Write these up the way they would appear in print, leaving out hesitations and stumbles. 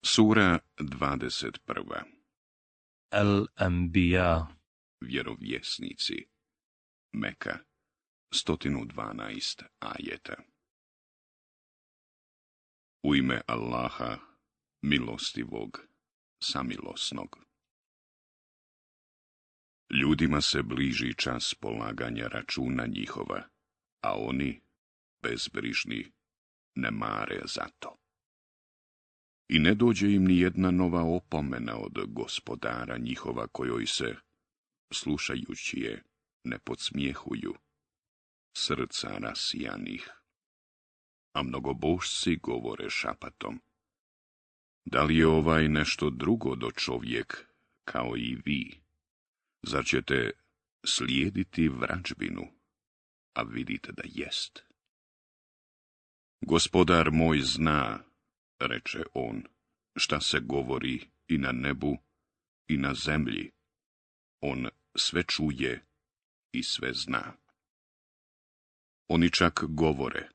Sura 21. Al-Anbiya. Vjerovjesnici. Meka. 112 ajeta. U ime Allaha, milostivog, samilosnog. Ljudima se bliži čas polaganja računa njihova, a oni, bezbrižni, ne mare za to. I ne dođe im ni jedna nova opomena od gospodara njihova kojoj se, slušajući je, ne podsmijehuju, srca rasijanih. A mnogobožci govore šapatom: da li je ovaj nešto drugo do čovjek, kao i vi? Zar ćete slijediti vrađbinu, a vidite da jest? Gospodar moj zna, reče on, šta se govori i na nebu i na zemlji. On sve čuje i sve zna. Oni čak govore,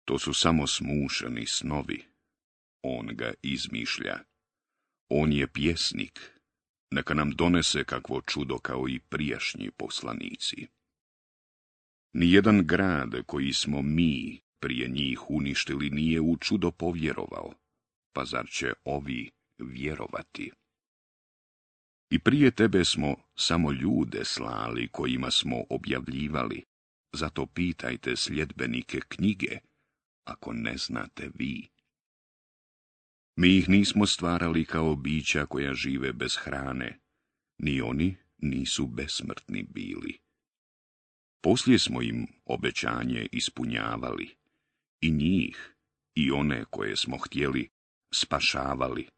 to su samo smušeni snovi. On ga izmišlja. On je pjesnik. Neka nam donese kakvo čudo kao i prijašnji poslanici. Nijedan grad koji smo mi prije njih uništili nije u čudo povjerovao, pa zar će ovi vjerovati? I prije tebe smo samo ljude slali kojima smo objavljivali, zato pitajte sljedbenike knjige, ako ne znate vi. Mi ih nismo stvarali kao bića koja žive bez hrane, ni oni nisu besmrtni bili. Poslije smo im obećanje ispunjavali, i njih, i one koje smo htjeli, spašavali,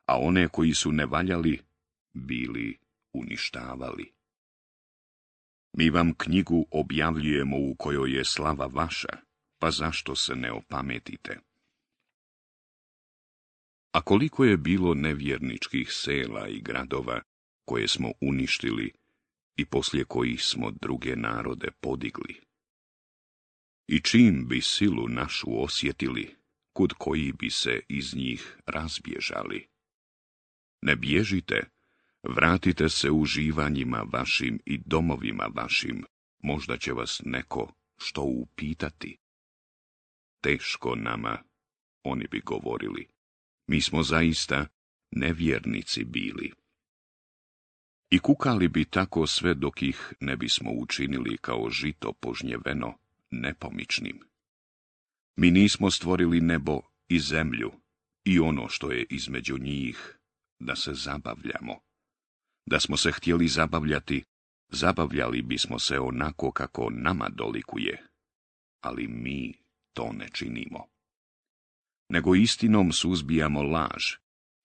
a one koji su ne valjali, bili uništavali. Mi vam knjigu objavljujemo u kojoj je slava vaša, pa zašto se ne opametite? A koliko je bilo nevjerničkih sela i gradova koje smo uništili i poslije kojih smo druge narode podigli? I čim bi silu našu osjetili, kud koji bi se iz njih razbježali? Ne bježite, vratite se uživanjima vašim i domovima vašim, možda će vas neko što upitati. Teško nama, oni bi govorili, mi smo zaista nevjernici bili. I kukali bi tako sve dok ih ne bismo učinili kao žito požnjeveno, nepomičnim. Mi nismo stvorili nebo i zemlju i ono što je između njih, da se zabavljamo. Da smo se htjeli zabavljati, zabavljali bismo se onako kako nama dolikuje, ali mi to ne činimo. Nego istinom suzbijamo laž,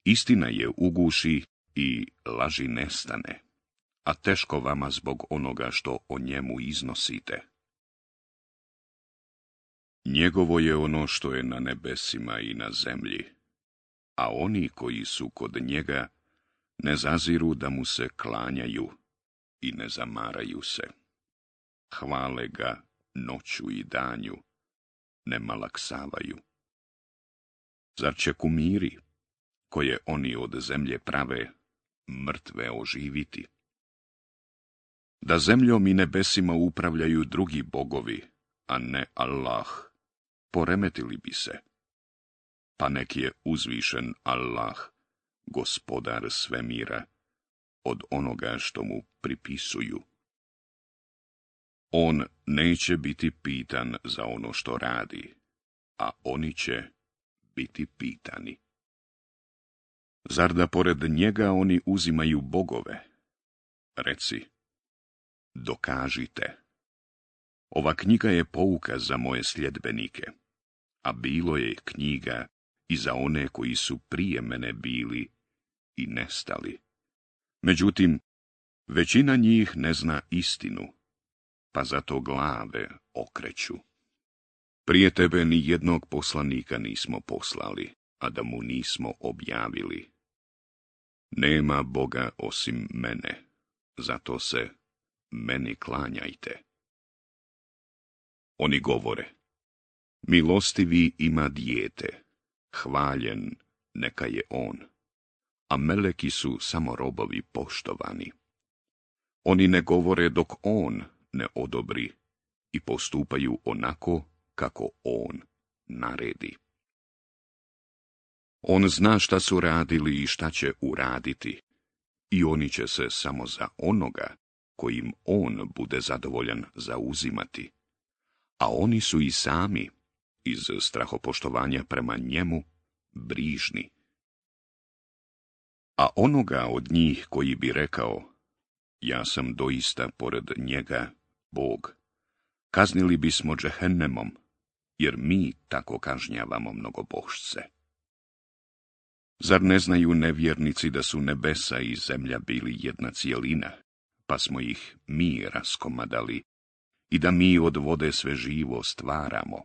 istina je uguši i laži nestane, a teško vama zbog onoga što o njemu iznosite. Njegovo je ono što je na nebesima i na zemlji, a oni koji su kod njega ne zaziru da mu se klanjaju i ne zamaraju se. Hvale ga noću i danju, ne malaksavaju. Zar će kumiri, koje oni od zemlje prave, mrtve oživiti? Da zemljom i nebesima upravljaju drugi bogovi, a ne Allah, poremetili bi se. Pa nek je uzvišen Allah, gospodar svemira, od onoga što mu pripisuju. On neće biti pitan za ono što radi, a oni će biti pitani. Zar da pored njega oni uzimaju bogove? Reci, dokažite. Ova knjiga je pouka za moje sljedbenike, a bilo je knjiga i za one koji su prije mene bili i nestali. Međutim, većina njih ne zna istinu, pa zato glave okreću. Prije tebe ni jednog poslanika nismo poslali, a da mu nismo objavili. Nema Boga osim mene, zato se meni klanjajte. Oni govore, milostivi ima dijete, hvaljen neka je on, a meleki su samo robovi poštovani. Oni ne govore dok on ne odobri i postupaju onako kako on naredi. On zna šta su radili i šta će uraditi, i oni će se samo za onoga kojim on bude zadovoljan zauzimati, a oni su i sami, iz strahopoštovanja prema njemu, brižni. A onoga od njih koji bi rekao, ja sam doista pored njega, Bog, kaznili bismo džehennemom, jer mi tako kažnjavamo mnogobožce. Zar ne znaju nevjernici da su nebesa i zemlja bili jedna cijelina, pa smo ih mi raskomadali, i da mi od vode sve živo stvaramo?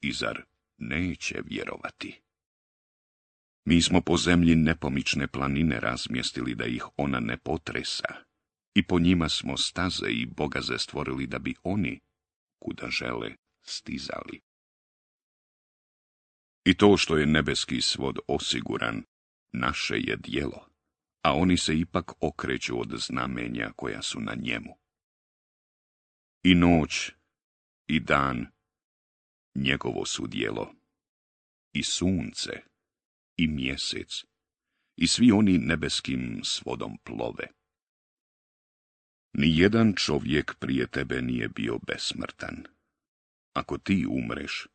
I zar neće vjerovati? Mi smo po zemlji nepomične planine razmjestili da ih ona ne potresa, i po njima smo staze i bogaze stvorili da bi oni, kuda žele, stizali. I to što je nebeski svod osiguran, naše je djelo, a oni se ipak okreću od znamenja koja su na njemu. I noć, i dan, njegovo su djelo, i sunce, i mjesec, i svi oni nebeskim svodom plove. Nijedan čovjek prije tebe nije bio besmrtan. Ako ti umreš,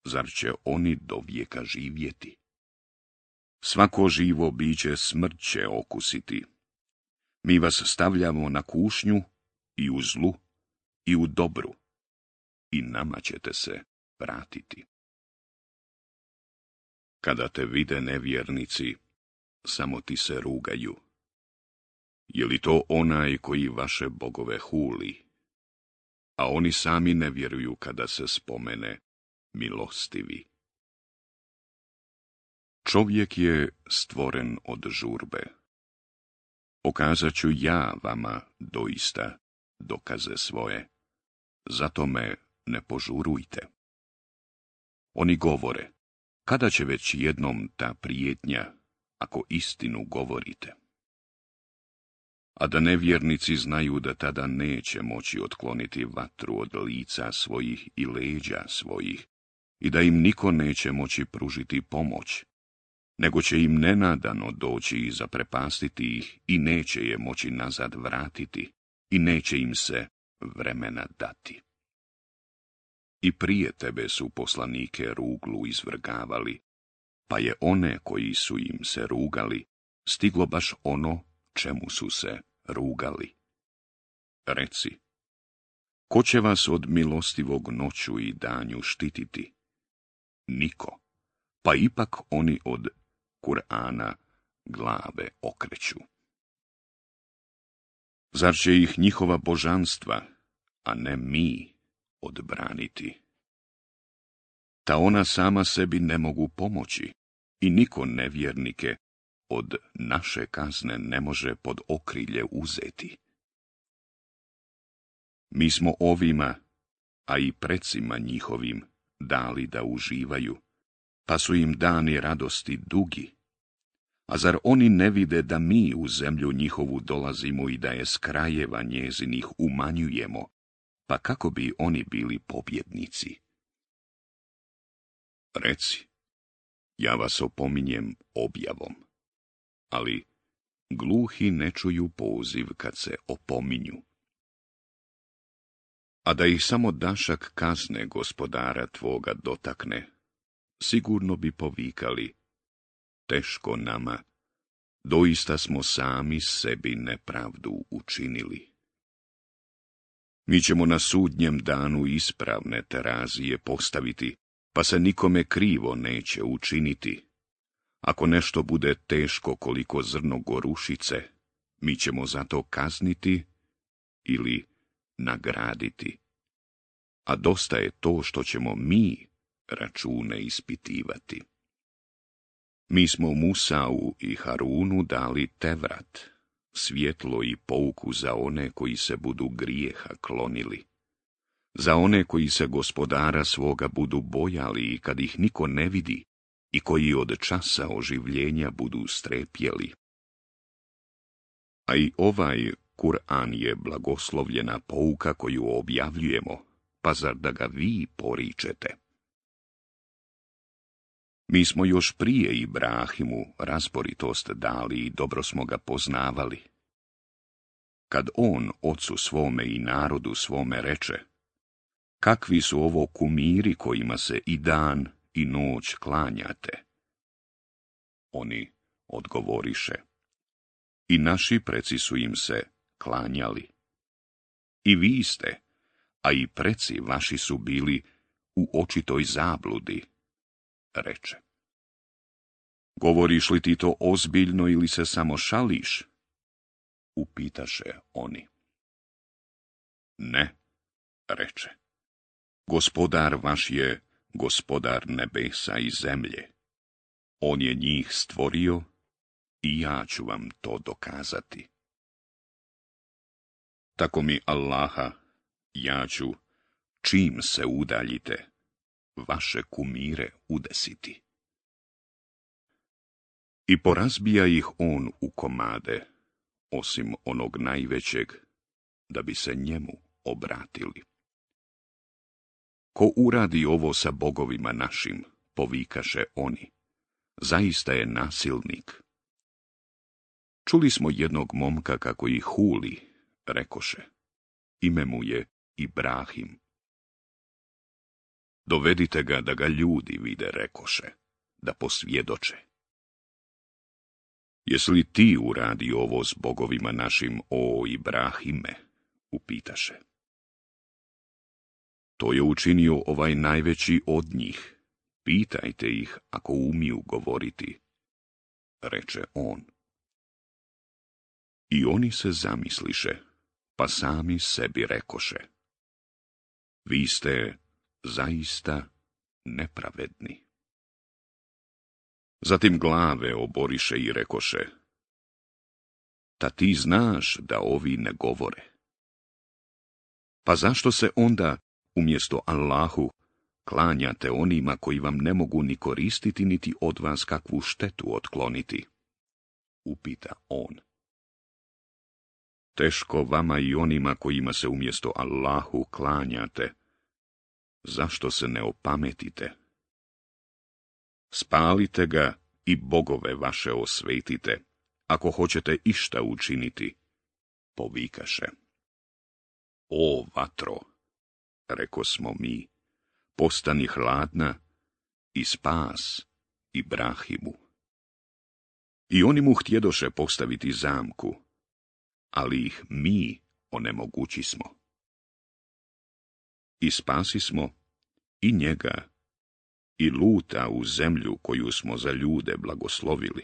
zar će oni do vijeka živjeti? Svako živo biće smrt će okusiti. Mi vas stavljamo na kušnju i u zlu i u dobru, i nama ćete se vratiti. Kada te vide nevjernici, samo ti se rugaju. Je li to onaj koji vaše bogove huli? A oni sami ne vjeruju kada se spomene milostivi. Čovjek je stvoren od žurbe. Pokazat ću ja vama doista dokaze svoje, zato me ne požurujte. Oni govore, kada će već jednom ta prijetnja, ako istinu govorite? A da nevjernici znaju da tada neće moći otkloniti vatru od lica svojih i leđa svojih, i da im niko neće moći pružiti pomoć, nego će im nenadano doći i zaprepastiti ih i neće je moći nazad vratiti i neće im se vremena dati. I prije tebe su poslanike ruglu izvrgavali, pa je one koji su im se rugali stiglo baš ono čemu su se rugali. Reci, ko će vas od milostivog noću i danju štititi? Niko, pa ipak oni od Kur'ana glave okreću. Zar će ih njihova božanstva, a ne mi, odbraniti? Ta ona sama sebi ne mogu pomoći i niko nevjernike od naše kazne ne može pod okrilje uzeti. Mi smo ovima, a i precima njihovim, dali da uživaju, pa su im dani radosti dugi. A zar oni ne vide da mi u zemlju njihovu dolazimo i da je s krajeva njezinih umanjujemo, pa kako bi oni bili pobjednici? Reci, ja vas opominjem objavom, ali gluhi ne čuju poziv kad se opominju. A da ih samo dašak kazne gospodara tvoga dotakne, sigurno bi povikali, teško nama, doista smo sami sebi nepravdu učinili. Mi ćemo na sudnjem danu ispravne terazije postaviti, pa se nikome krivo neće učiniti. Ako nešto bude teško koliko zrno gorušice, mi ćemo zato kazniti ili nagraditi. A dosta je to što ćemo mi račune ispitivati. Mi smo Musau i Harunu dali Tevrat, svjetlo i pouku za one koji se budu grijeha klonili. Za one koji se gospodara svoga budu bojali i kad ih niko ne vidi i koji od časa oživljenja budu strepjeli. A i ovaj Kur'an je blagoslovljena pouka koju objavljujemo, pa zar da ga vi poričete? Mi smo još prije Ibrahimu razboritost dali i dobro smo ga poznavali. Kad on ocu svome i narodu svome reče, kakvi su ovo kumiri kojima se i dan i noć klanjate? Oni odgovoriše, i naši preci su im se klanjali. I vi ste, a i preci vaši su bili u očitoj zabludi, reče. Govoriš li ti to ozbiljno ili se samo šališ? Upitaše oni. Ne, reče. Gospodar vaš je gospodar nebesa i zemlje. On je njih stvorio i ja ću vam to dokazati. Tako mi Allaha, ja ću, čim se udaljite, vaše kumire udesiti. I porazbija ih on u komade, osim onog najvećeg, da bi se njemu obratili. Ko uradi ovo sa bogovima našim, povikaše oni, zaista je nasilnik. Čuli smo jednog momka kako ih huli, rekoše, ime mu je Ibrahim. Dovedite ga da ga ljudi vide, rekoše, da posvjedoče. Jesi li ti uradi ovo s bogovima našim, o Ibrahime? Upitaše. To je učinio ovaj najveći od njih. Pitajte ih ako umiju govoriti, reče on. I oni se zamisliše, pa sami sebi rekoše. Vi ste zaista nepravedni. Zatim glave oboriše i rekoše, ta ti znaš da ovi ne govore. Pa zašto se onda, umjesto Allahu, klanjate onima koji vam ne mogu ni koristiti, niti od vas kakvu štetu otkloniti? Upita on. Teško vama i onima kojima se umjesto Allahu klanjate. Zašto se ne opametite? Spalite ga i bogove vaše osvetite, ako hoćete išta učiniti, povikaše. O vatro, reko smo mi, postani hladna i spas Ibrahimu. I oni mu htjedoše postaviti zamku, ali ih mi onemogućismo. I spasismo i njega, i Luta u zemlju koju smo za ljude blagoslovili.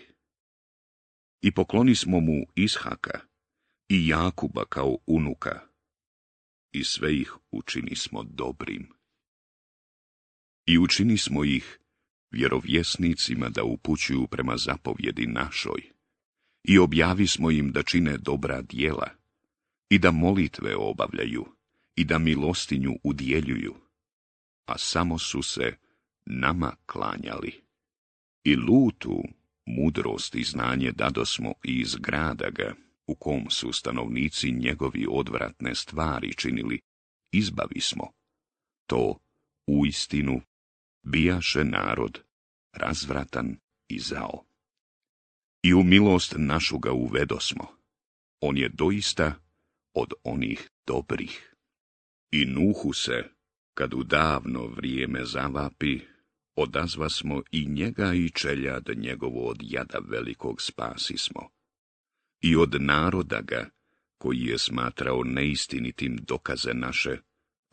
I poklonismo mu Ishaka i Jakuba kao unuka, i sve ih učinismo dobrim. I učinismo ih vjerovjesnicima da upućuju prema zapovjedi našoj, i objavismo im da čine dobra djela, i da molitve obavljaju, i da milostinju udjeljuju, a samo su se nama klanjali. I Lutu mudrost i znanje dadosmo i iz grada ga, u kom su stanovnici njegovi odvratne stvari činili, izbavismo. To, uistinu, bijaše narod razvratan i zao. I u milost našu ga uvedosmo. On je doista od onih dobrih. I Nuhu se, kad u davno vrijeme zavapi, odazvasmo i njega i čeljad njegovo od jada velikog spasismo. I od naroda ga, koji je smatrao neistinitim dokaze naše,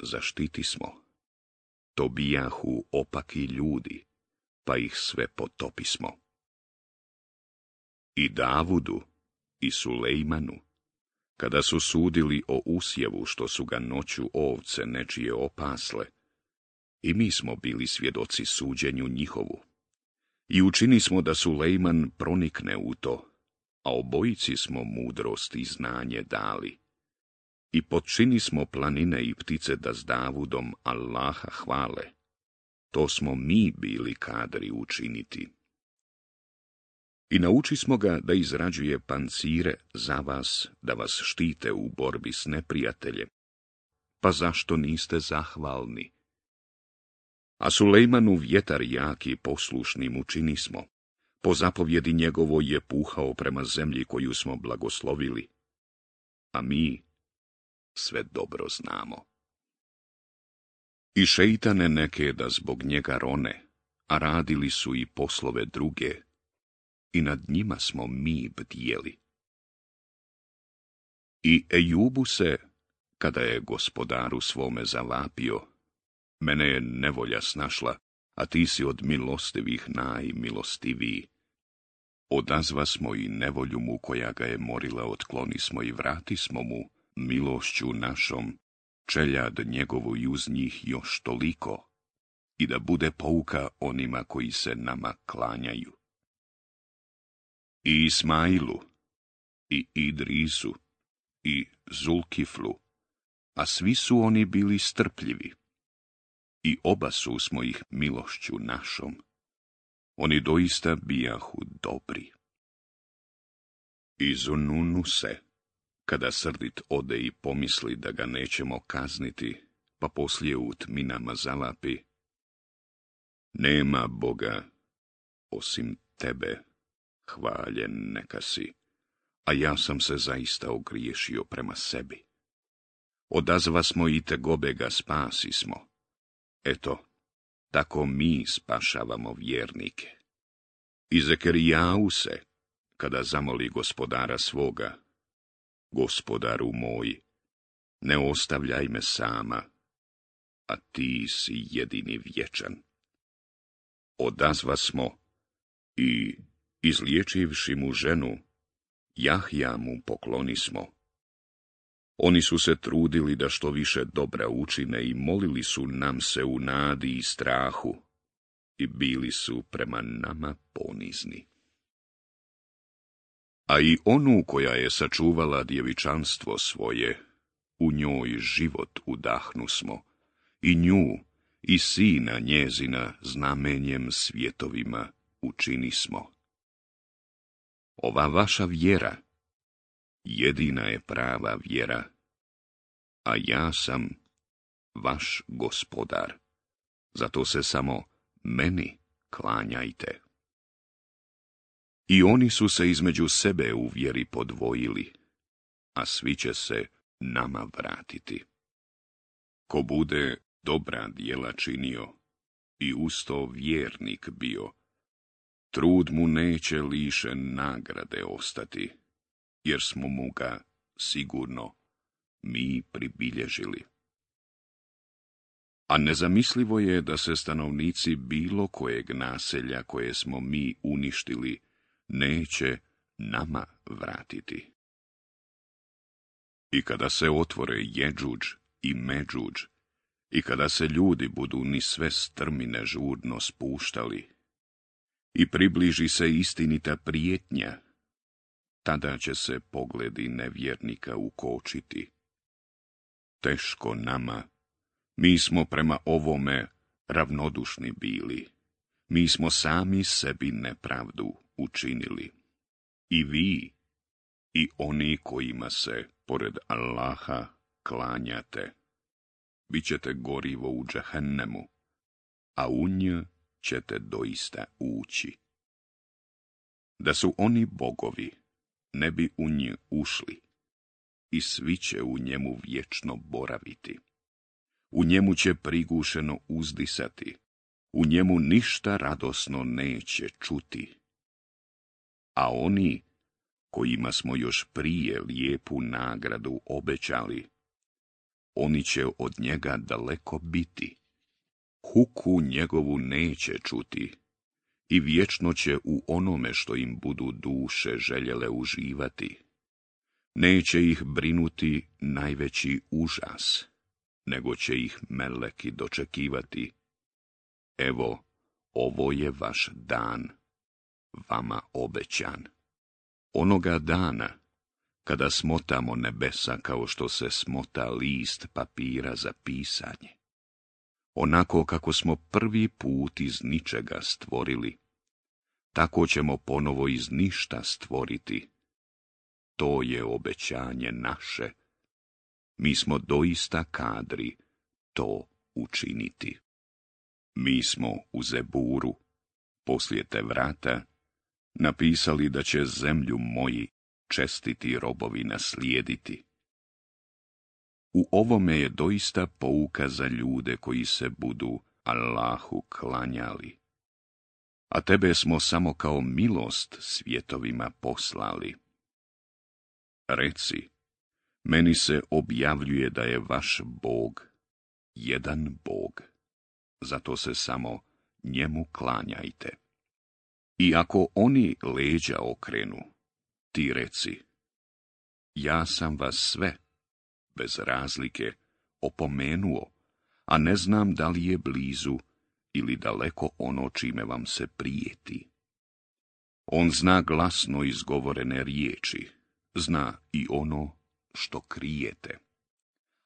zaštitismo. To bijahu opaki ljudi, pa ih sve potopismo. I Davudu i Sulejmanu, kada su sudili o usjevu što su ga noću ovce nečije opasle, i mi smo bili svjedoci suđenju njihovu. I učinismo da Sulejman pronikne u to, a obojici smo mudrost i znanje dali. I potčinismo planine i ptice da s Davudom Allaha hvale. to smo mi bili kadri učiniti. I naučismo ga da izrađuje pancire za vas, da vas štite u borbi s neprijateljem. Pa zašto niste zahvalni? A Sulejmanu vjetar jaki poslušnim učinismo. Po zapovjedi njegovoj je puhao prema zemlji koju smo blagoslovili. A mi sve dobro znamo. I šeitane neke da zbog njega rone, a radili su i poslove druge, i nad njima smo mi bdjeli. I Ejubu se, kada je gospodaru svome zavapio, mene je nevolja snašla, a ti si od milostivih najmilostiviji. Odazva smo i nevolju mu koja ga je morila otklonismo i vratismo mu milošću našom, čeljad njegovu i uz njih još toliko, i da bude pouka onima koji se nama klanjaju. I Ismailu, i Idrisu, i Zulkiflu, a svi su oni bili strpljivi. I obasu smo ih milošću našom. Oni doista bijahu dobri. I Zununu se, kada srdit ode i pomisli da ga nećemo kazniti, pa poslije u tminama zavapi: nema Boga osim tebe, hvaljen neka si, a ja sam se zaista ogriješio prema sebi. Odazva smo i tegobe ga spasismo. Eto, tako mi spašavamo vjernike. I Zekerijau se, kada zamoli gospodara svoga: gospodaru moj, ne ostavljaj me sama, a ti si jedini vječan. Odazva smo i, izliječivši mu ženu, Jahja mu poklonismo. Oni su se trudili da što više dobra učine i molili su nam se u nadi i strahu, i bili su prema nama ponizni. A i onu koja je sačuvala djevičanstvo svoje, u njoj život udahnusmo, i nju i sina njezina znamenjem svjetovima učinismo. Ova vaša vjera jedina je prava vjera, a ja sam vaš gospodar, zato se samo meni klanjajte. I oni su se između sebe u vjeri podvojili, a svi će se nama vratiti. Ko bude dobra djela činio i usto vjernik bio, trud mu neće lišen nagrade ostati, jer smo mu ga sigurno mi pribilježili. A nezamislivo je da se stanovnici bilo kojeg naselja koje smo mi uništili neće nama vratiti. I kada se otvore Jedžudž i Medžudž, i kada se ljudi budu ni sve strmine žurno spuštali, i približi se istinita prijetnja, tada će se pogledi nevjernika ukočiti. Teško nama, mi smo prema ovome ravnodušni bili, mi smo sami sebi nepravdu učinili. I vi, i oni kojima se, pored Allaha, klanjate, bit ćete gorivo u džehennemu, a u nj ćete doista ući. Da su oni bogovi, ne bi u nj ušli, i svi će u njemu vječno boraviti. U njemu će prigušeno uzdisati, u njemu ništa radosno neće čuti. A oni, kojima smo još prije lijepu nagradu obećali, oni će od njega daleko biti. Huku njegovu neće čuti i vječno će u onome što im budu duše željele uživati. Neće ih brinuti najveći užas, nego će ih meleki dočekivati. Evo, ovo je vaš dan, vama obećan. Onoga dana, kada smotamo nebesa kao što se smota list papira za pisanje. Onako kako smo prvi put iz ničega stvorili, tako ćemo ponovo iz ništa stvoriti. To je obećanje naše. Mi smo doista kadri to učiniti. Mi smo u Zeburu, poslije Tevrata, napisali da će zemlju moji čestiti robovi naslijediti. U ovome je doista pouka za ljude koji se budu Allahu klanjali. A tebe smo samo kao milost svjetovima poslali. Reci, meni se objavljuje da je vaš Bog jedan Bog, zato se samo njemu klanjajte. I ako oni leđa okrenu, ti reci, ja sam vas sve, bez razlike, opomenuo, a ne znam da li je blizu ili daleko ono čime vam se prijeti. On zna glasno izgovorene riječi, zna i ono što krijete.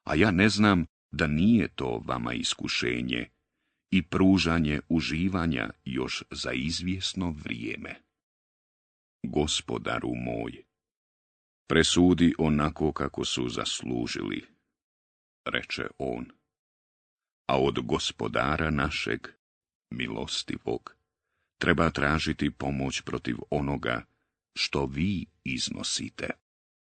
A ja ne znam da nije to vama iskušenje i pružanje uživanja još za izvjesno vrijeme. Gospodaru moj, presudi onako kako su zaslužili, reče on. A od Gospodara našeg, milostivog, treba tražiti pomoć protiv onoga što vi iznosite.